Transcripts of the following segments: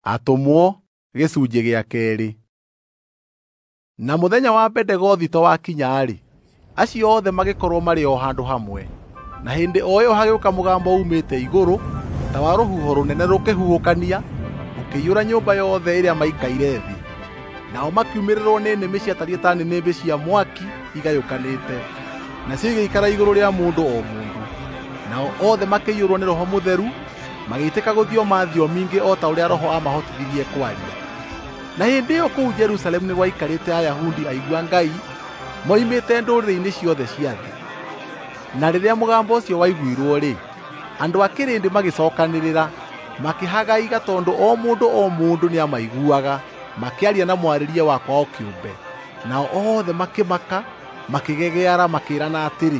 Atũmwo gĩcunjĩ gĩa kerĩ. Na mũthenya wa Bendegothito wakinya-rĩ, acio othe magĩkorwo marĩ o handũ hamwe. Na hĩndĩ o ĩyo hagĩũka mũgambo uumĩte igũrũ ta wa rũhuho rũnene rũkĩhuhũkania, ũkĩiyũra nyũmba yothe ĩrĩa maikaire thĩ. Nao makiumĩrĩrwo nĩ nĩmĩ ciatariĩ ta nĩnĩmbĩ cia mwaki igayũkanĩte, nacio igĩikara igũrũ rĩa mũndũ o mũndũ. Nao othe makĩiyũrwo nĩ Roho Mũtheru, magĩitĩka gũthioma thiomi ingĩ o ta ũrĩa Roho aamahotithirie kwaria. Na hĩndĩ ĩyo kũu Jerusalemu nĩ gwaikarĩte Ayahudi aigua Ngai moimĩte ndũrĩrĩ-inĩ ciothe cia thĩ. Na rĩrĩa mũgambo ũcio waiguirwo-rĩ, andũ a kĩrĩndĩ magĩcokanĩrĩra, makĩhagaiga tondũ o mũndũ o mũndũ nĩamaiguaga makĩaria na mwarĩrie wa kwao kĩũmbe. Nao othe makĩmaka, makĩgegeara makĩĩrana atĩrĩ,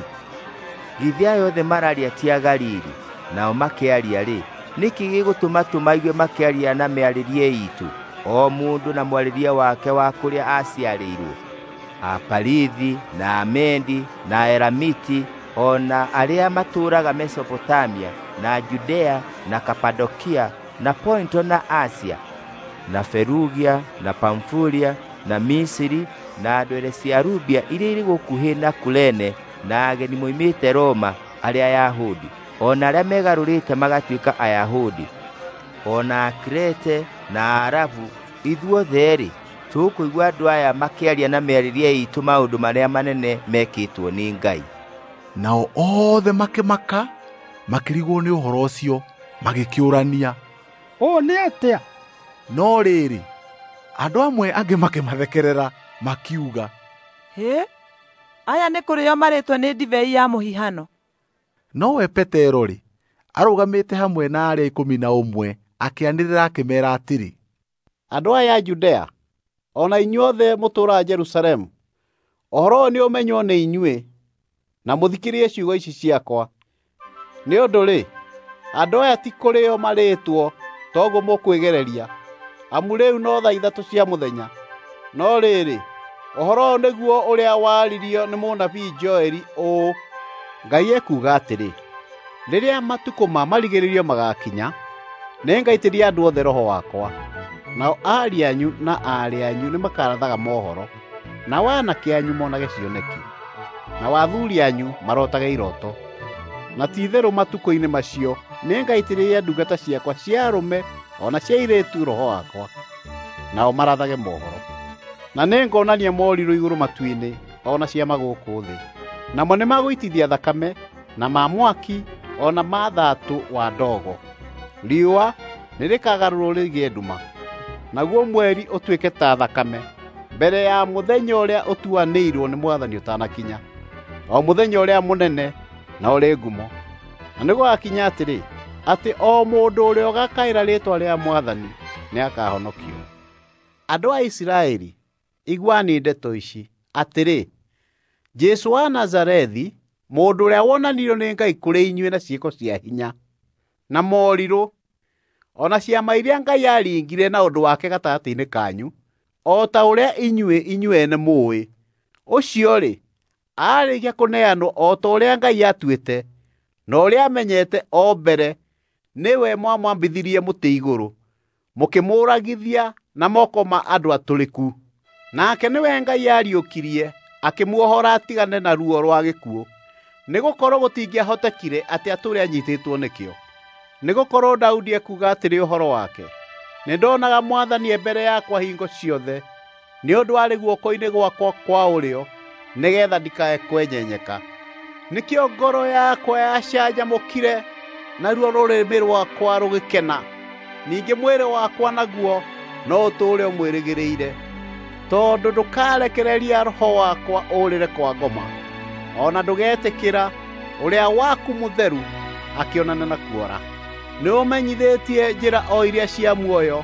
"Githĩ aya othe mararia ti Agalili? Nao makĩaria-rĩ, nĩkĩ gĩgũtũma tũmaigue makĩaria na mĩarĩrie iitũ, o mũndũ na mwarĩrie wake wa kũrĩa aaciarĩirwo? Aparithi na Amendi na Aelamiti o na arĩa matũũraga Mesopotamia na Judea na Kapadokia na Ponto na Asia na Ferugia na Pamfulia na Misiri na ndwere cia Lubia iria irĩ gũkuhĩ na Kurene na ageni moimĩte Roma arĩa Ayahudi o na arĩa megarũrĩte magatuĩka Ayahudi, o na Akrete na Aarabu, ithuothe-rĩ, tũkũigua andũ aya makĩaria na mĩarĩrie iitũ maũndũ marĩa manene mekĩtwo nĩ Ngai." Nao othe makĩmaka, makĩrigwo nĩ ũhoro ũcio, magĩkĩũrania, "Ũũ nĩ atĩa?" No rĩrĩ, andũ amwe angĩ makĩmathekerera, makiuga, "Hĩ, aya nĩ kũrĩo marĩtwo nĩ ndibei ya mũhihano." Nowe Petero-rĩ, arũgamĩte hamwe na arĩa 11, akĩanĩrĩra akĩmeera atĩrĩ, "Andũ aya a Judea, o na inyuothe mũtũũraga Jerusalemu, ũhoro ũyũ nĩũmenywo nĩ inyuĩ, na mũthikĩrĩrie ciugo ici ciakwa. Nĩ ũndũ-rĩ, andũ aya ti kũrĩo marĩĩtwo toguo mũkwĩgereria, amu rĩu no thaa 3 cia mũthenya. No rĩrĩ, ũhoro ũyũ nĩguo ũrĩa waririo nĩ mũnabii Joeli ũũ: Ngai ekuuga atĩrĩ, rĩrĩa matukũ ma marigĩrĩrio magakinya, nĩngaitĩrĩria andũ othe Roho wakwa. Nao ariũ anyu na aarĩ anyu nĩmakarathaga mohoro, nao aanake anyu monage cioneki, nao athuuri anyu marotage iroto. Na ti-itherũ matukũ-inĩ macio nĩngaitĩrĩria ndungata ciakwa cia arũme o na cia airĩtu Roho wakwa, nao marathage mohoro. Na nĩngonania morirũ igũrũ matu-inĩ o na ciama gũkũ thĩ, namo nĩmagũitithia thakame na ma mwaki o na ma thaatũ wa ndogo. Riũa nĩrĩkagarũrwo rĩgĩe nduma, naguo mweri ũtuĩke ta thakame, mbere ya mũthenya ũrĩa ũtuanĩirwo nĩ Mwathani ũtanakinya, o mũthenya ũrĩa mũnene na ũrĩ ngumo. Na nĩgũgakinya atĩrĩ, atĩ o mũndũ ũrĩa ũgakaĩra rĩĩtwa rĩa Mwathani nĩakahonokio. Andũ a Isiraeli, iguani ndeto ici, atĩrĩ, Jesũ wa Nazarethi, mũndũ ũrĩa wonanirio nĩ Ngai kũrĩ inyuĩ na ciĩko cia hinya, na morirũ, o na ciama iria Ngai aaringire na ũndũ wake gatagatĩ-inĩ kanyu, o ta ũrĩa inyuĩ inyuene mũũĩ. Ũcio-rĩ, aarĩkia kũneanwo o ta ũrĩa Ngai atuĩte, na ũrĩa amenyete o mbere, nĩwe mwamwambithirie mũtĩ igũrũ, mũkĩmũũragithia na moko ma andũ atũrĩku. Nake nĩwe Ngai aariũkirie, akĩmuohora atigane na ruo rwa gĩkuũ, nĩgũkorwo gũtingĩahotekire atĩ atũũre anyiitĩtwo nĩkĩo. Nĩgũkorwo Daudi ekuuga atĩrĩ ũhoro wake, nĩndonaga Mwathani e mbere yakwa hingo ciothe, nĩ ũndũ arĩ guoko-inĩ gwakwa kwa ũrĩo, nĩgeetha ndikae kwenyenyeka. Nĩkĩo ngoro yakwa yacanjamũkire, naruo rũrĩmĩ rwakwa rũgĩkena. Ningĩ mwĩrĩ wakwa naguo no ũtũũre ũmwĩrĩgĩrĩire, tondũ ndũkarekereria roho wakwa ũũrĩre kwa ngoma, o na ndũgetĩkĩra ũrĩa waku mũtheru akĩonane na kuora. Nĩũmenyithĩtie njĩra o iria cia muoyo,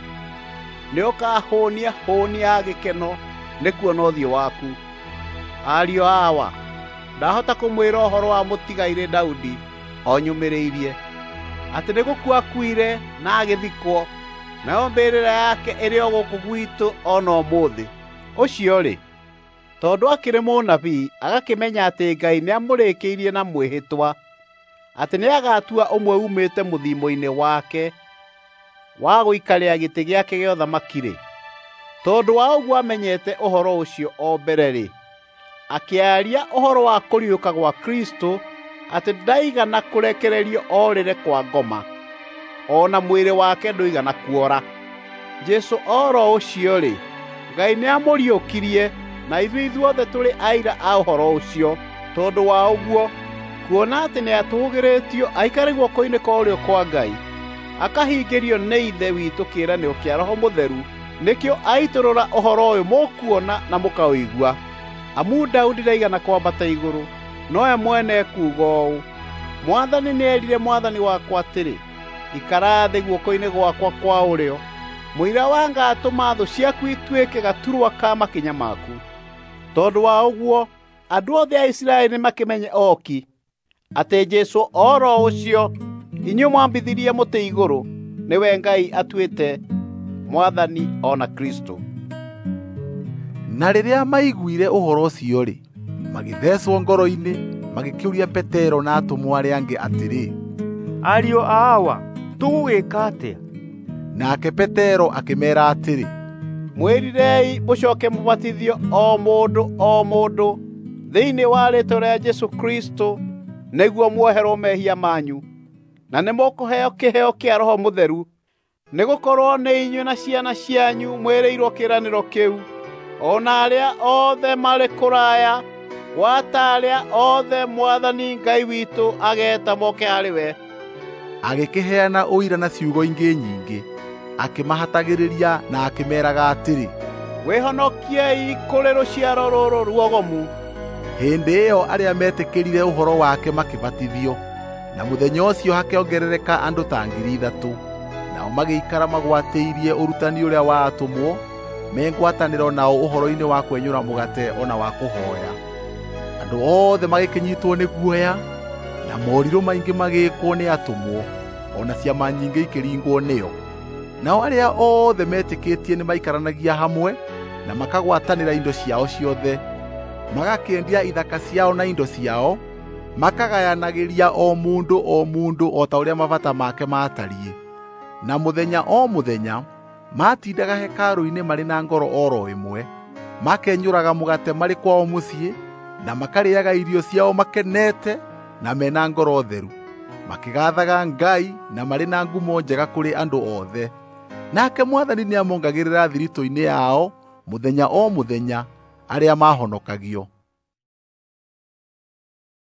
nĩũkahũũnia hũũni ya gĩkeno nĩkuona ũthiũ waku. Ariũ awa, ndahota kũmwĩra ũhoro wa mũtigairĩ Daudi o nyũmĩrĩirie, atĩ nĩgũkua akuire na agĩthikwo, nayo mbĩrĩra yake ĩrĩ o gũkũ gwitũ o na ũmũthĩ. Ũcio-rĩ, tondũ akĩrĩ mũnabii, agakĩmenya atĩ Ngai nĩamũrĩkĩirie na mwĩhĩtwa atĩ nĩagatua ũmwe uumĩte mũthiimo-inĩ wake wa gũikarĩra gĩtĩ gĩake gĩa ũthamaki-rĩ, tondũ wa ũguo amenyete ũhoro ũcio o mbere-rĩ, akĩaria ũhoro wa kũriũka gwa Kristũ atĩ ndaigana kũrekererio orĩre kwa ngoma, o na mwĩrĩ wake ndũigana kuora. Jesũ oro ũcio-rĩ, Ngai nĩamũriũkirie, na ithuĩ ithuothe tũrĩ aira a ũhoro ũcio. Tondũ wa ũguo, kuona atĩ nĩatũũgĩrĩtio aikare guoko-inĩ kwa ũrĩo kwa Ngai, akahingĩrio nĩ Ithe witũ kĩĩranĩro kĩa Roho Mũtheru, nĩkĩo aitũrũra ũhoro ũyũ mũkuona na mũkaũigua. Amu Daudi ndaigana kwambata igũrũ, nowe mwene ekuuga ũũ: Mwathani nĩerire Mwathani wakwa atĩrĩ, ikara thĩ guoko-inĩ gwakwa kwa ũrĩo, mũira wa ngatũma thũ ciaku ituĩke gaturwa ka makinya maku. Tondũ wa ũguo, andũ othe a Isiraeli nĩmakĩmenye oki atĩ Jesũ oro ũcio inyuĩ mwambithirie mũtĩ igũrũ, nĩwe Ngai atuĩte Mwathani o na Kristũ. Na rĩrĩa maiguire ũhoro ũcio-rĩ, magĩthecwo ngoro-inĩ, magĩkĩũria Petero na atũmwo arĩa angĩ atĩrĩ, Ariũ a Awa, tũgũgĩka atĩa? Nake Petero akĩmeera atĩrĩ, Mwĩrirei mũcooke mũbatithio o mũndũ o mũndũ thĩinĩ wa rĩĩtwa rĩa Jesũ Kristũ nĩguo muoherwo mehia manyu, na nĩmũkũheo kĩheo kĩa Roho Mũtheru. Nĩgũkorwo nĩ inyuĩ na ciana cianyu mwĩrĩirwo kĩĩranĩro kĩu, o na arĩa othe marĩ kũraya, gwata arĩa othe Mwathani Ngai witũ ageeta moke harĩ we. Agĩkĩheana ũira na ciugo ingĩ nyingĩ, akĩmahatagĩrĩria na akĩmeeraga atĩrĩ, Wĩhonokiei kũrĩ rũciaro rũrũ ruogomu. Hĩndĩ ĩyo arĩa meetĩkĩrire ũhoro wake makĩbatithio, na mũthenya ũcio hakĩongerereka andũ ta 3,000. Nao magĩikara magwatĩirie ũrutani ũrĩa wa atũmwo, me ngwatanĩro nao ũhoro-inĩ wa kwenyũra mũgate o na wa kũhooya. Andũ othe magĩkĩnyiitwo nĩ guoya, na morirũ maingĩ magĩĩkwo nĩ atũmwo, o na ciama nyingĩ ikĩringwo nĩo. Nao arĩa othe metĩkĩtie nĩmaikaranagia hamwe na makagwatanĩra indo ciao ciothe, magakĩendia ithaka ciao na indo ciao, makagayanagĩria o mũndũ o mũndũ o ta ũrĩa mabata make maatariĩ. Na mũthenya o mũthenya maatindaga hekarũ-inĩ marĩ na ngoro oro ĩmwe, makenyũraga mũgate marĩ kwao mũciĩ, na makarĩaga irio ciao makenete na mena ngoro theru, makĩgaathaga Ngai na marĩ na ngumo njega kũrĩ andũ othe. Nake Mwathani nĩamongagĩrĩra thiritũ-inĩ yao mũthenya o mũthenya arĩa maahonokagio.